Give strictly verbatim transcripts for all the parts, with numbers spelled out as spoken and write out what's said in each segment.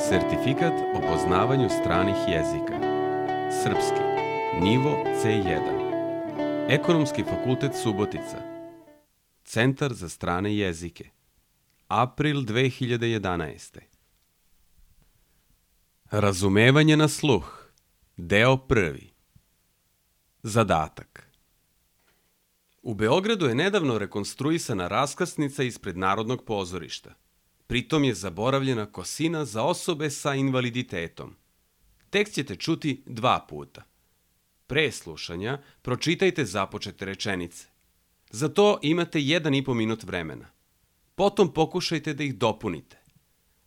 Sertifikat o poznavanju stranih jezika. Srpski. Nivo ce jedan. Ekonomski fakultet Subotica. Centar za strane jezike. April dve hiljade jedanaeste. Razumevanje na sluh. Deo prvi. Zadatak. U Beogradu je nedavno rekonstruisana raskrsnica ispred Narodnog pozorišta. Pritom je zaboravljena kosina za osobe sa invaliditetom. Tekst ćete čuti dva puta. Pre slušanja pročitajte započete rečenice. Za to imate jedan i po minut vremena. Potom pokušajte da ih dopunite.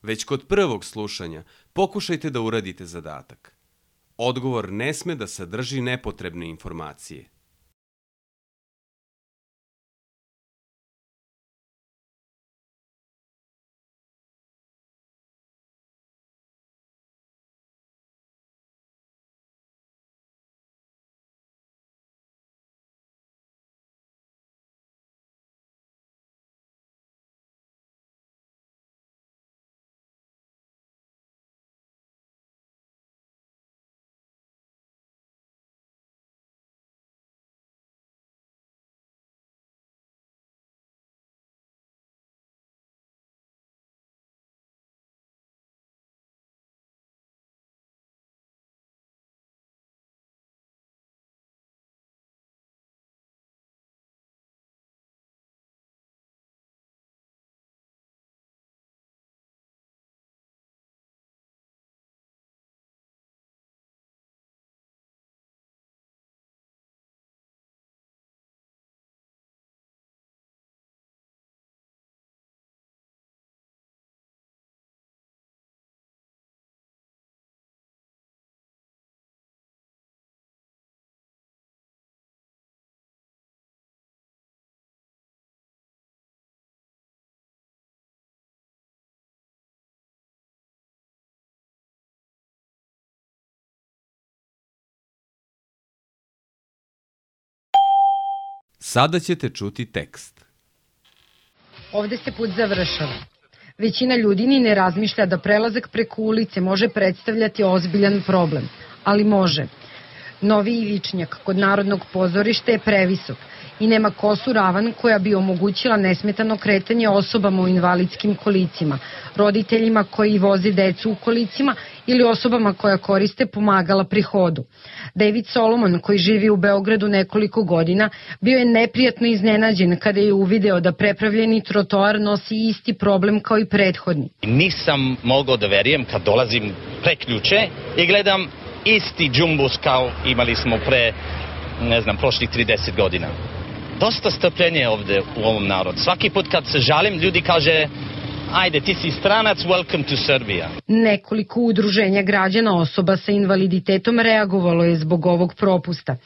Već kod prvog slušanja pokušajte da uradite zadatak. Odgovor ne sme da sadrži nepotrebne informacije. Sada ćete čuti tekst. Ovde se put završava. Većina ljudi ni ne razmišlja da prelazak preko ulice može predstavljati ozbiljan problem, ali može. Novi ivičnjak kod Narodnog pozorišta je previsok i nema kosu ravan koja bi omogućila nesmetano kretanje osobama u invalidskim kolicima, roditeljima koji voze decu u kolicima ili osobama koja koriste pomagala pri hodu. David Solomon, koji živi u Beogradu nekoliko godina, bio je neprijatno iznenađen kada je uvideo da prepravljeni trotoar nosi isti problem kao i prethodni. Nisam mogao da verujem kad dolazim preključe i gledam isti džumbus kao imali smo pre, ne znam, prošlih trideset godina. Dosta strpljenje ovde u ovom narodu. Svaki put kad se žalim, ljudi kaže, ajde, ti si stranac, welcome to Serbia. Nekoliko udruženja građana osoba sa invaliditetom reagovalo je zbog ovog propusta.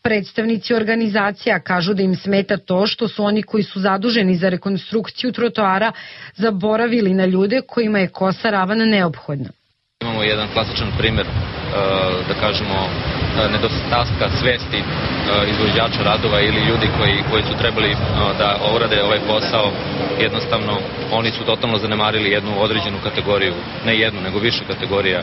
Predstavnici organizacija kažu da im smeta to što su oni koji su zaduženi za rekonstrukciju trotoara zaboravili na ljude kojima je kosa ravan neophodna. Imamo jedan klasičan primer, da kažemo, nedostatka svesti izvođača radova ili ljudi koji, koji su trebali da urade ovaj posao. Jednostavno, oni su totalno zanemarili jednu određenu kategoriju, ne jednu, nego više kategorija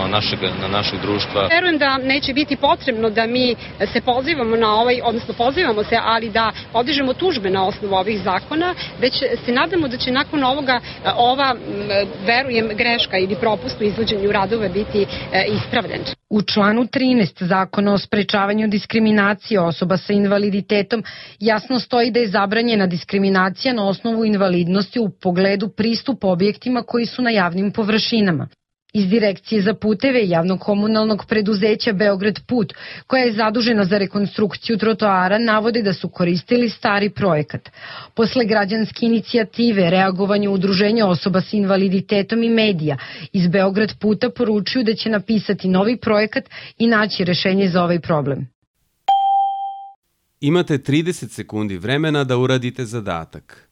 našeg, na našeg društva. Verujem da neće biti potrebno da mi se pozivamo na ovaj, odnosno pozivamo se, ali da podižemo tužbe na osnovu ovih zakona, već se nadamo da će nakon ovoga ova, verujem, greška ili propust u izvođenju radova biti ispravljen. U članu trinaest Zakona o sprečavanju diskriminacije osoba sa invaliditetom jasno stoji da je zabranjena diskriminacija na osnovu invalidnosti u pogledu pristupa objektima koji su na javnim površinama. Iz Direkcije za puteve javno-komunalnog preduzeća Beograd Put, koja je zadužena za rekonstrukciju trotoara, navode da su koristili stari projekat. Posle građanske inicijative, reagovanje udruženja osoba sa invaliditetom i medija iz Beograd Puta poručuju da će napisati novi projekat i naći rešenje za ovaj problem. Imate trideset sekundi vremena da uradite zadatak.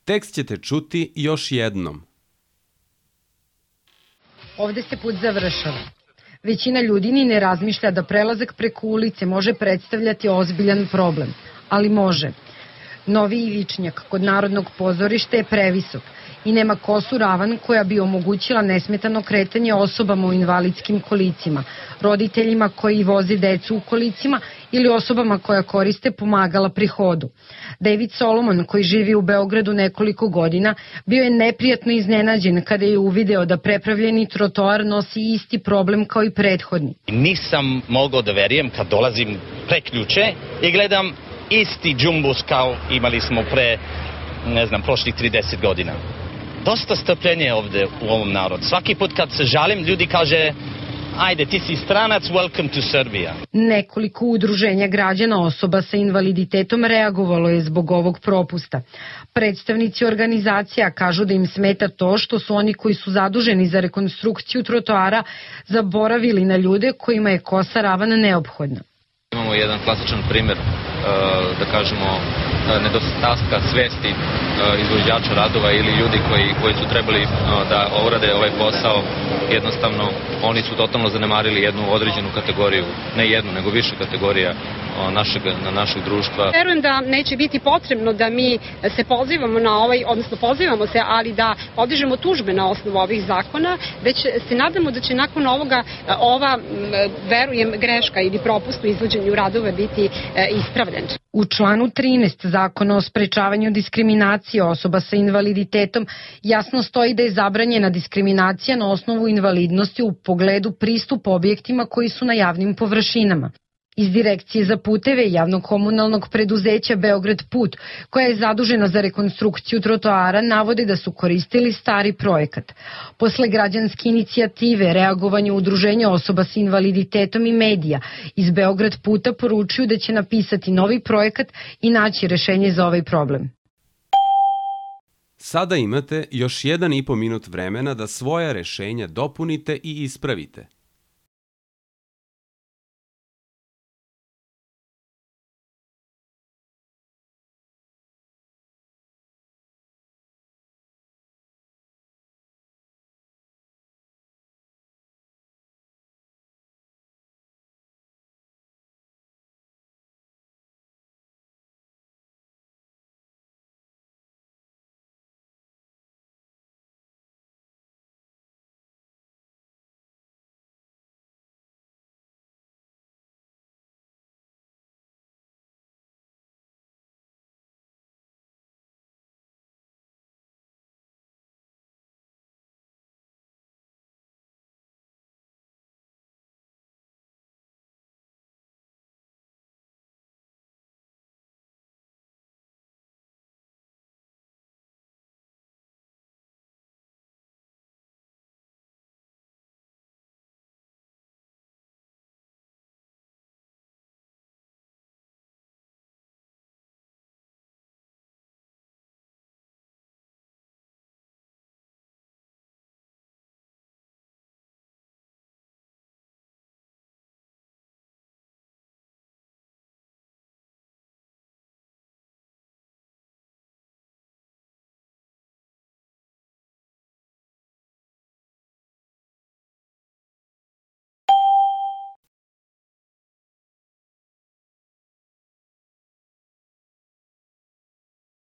Tekst ćete čuti još jednom. Ovde se put završava. Većina ljudi ni ne razmišlja da prelazak preko ulice može predstavljati ozbiljan problem, ali može. Novi ivičnjak kod Narodnog pozorišta je previsok i nema kosu ravan koja bi omogućila nesmetano kretanje osobama u invalidskim kolicima, roditeljima koji voze decu u kolicima ili osobama koja koriste pomagala pri hodu. David Solomon, koji živi u Beogradu nekoliko godina, bio je neprijatno iznenađen kada je uvideo da prepravljeni trotoar nosi isti problem kao i prethodni. Nisam mogao da verujem kad dolazim preključe i gledam isti džumbus kao imali smo pre, ne znam, prošlih trideset godina. Dosta strpljenja ovde u ovom narodu. Svaki put kad se žalim, ljudi kaže, ajde, ti si stranac, welcome to Serbia. Nekoliko udruženja građana osoba sa invaliditetom reagovalo je zbog ovog propusta. Predstavnici organizacija kažu da im smeta to što su oni koji su zaduženi za rekonstrukciju trotoara zaboravili na ljude kojima je kosa ravan neophodna. Imamo jedan klasičan primer, da kažemo, nedostatka svesti izvođača radova ili ljudi koji, koji su trebali da urade ovaj posao. Jednostavno, oni su totalno zanemarili jednu određenu kategoriju, ne jednu, nego više kategorija našeg, na našeg društva. Verujem da neće biti potrebno da mi se pozivamo na ovaj, odnosno pozivamo se, ali da podižemo tužbe na osnovu ovih zakona, već se nadamo da će nakon ovoga ova, verujem, greška ili propust u izvođenju radova biti ispravljen. U članu trinaest Zakona o sprečavanju diskriminacije osoba sa invaliditetom jasno stoji da je zabranjena diskriminacija na osnovu invalidnosti u pogledu pristupa objektima koji su na javnim površinama. Iz Direkcije za puteve javnog komunalnog preduzeća Beograd Put, koja je zadužena za rekonstrukciju trotoara, navode da su koristili stari projekat. Posle građanske inicijative, reagovanje udruženja osoba sa invaliditetom i medija iz Beograd Puta poručuju da će napisati novi projekat i naći rešenje za ovaj problem. Sada imate još jedan i po minut vremena da svoja rešenja dopunite i ispravite.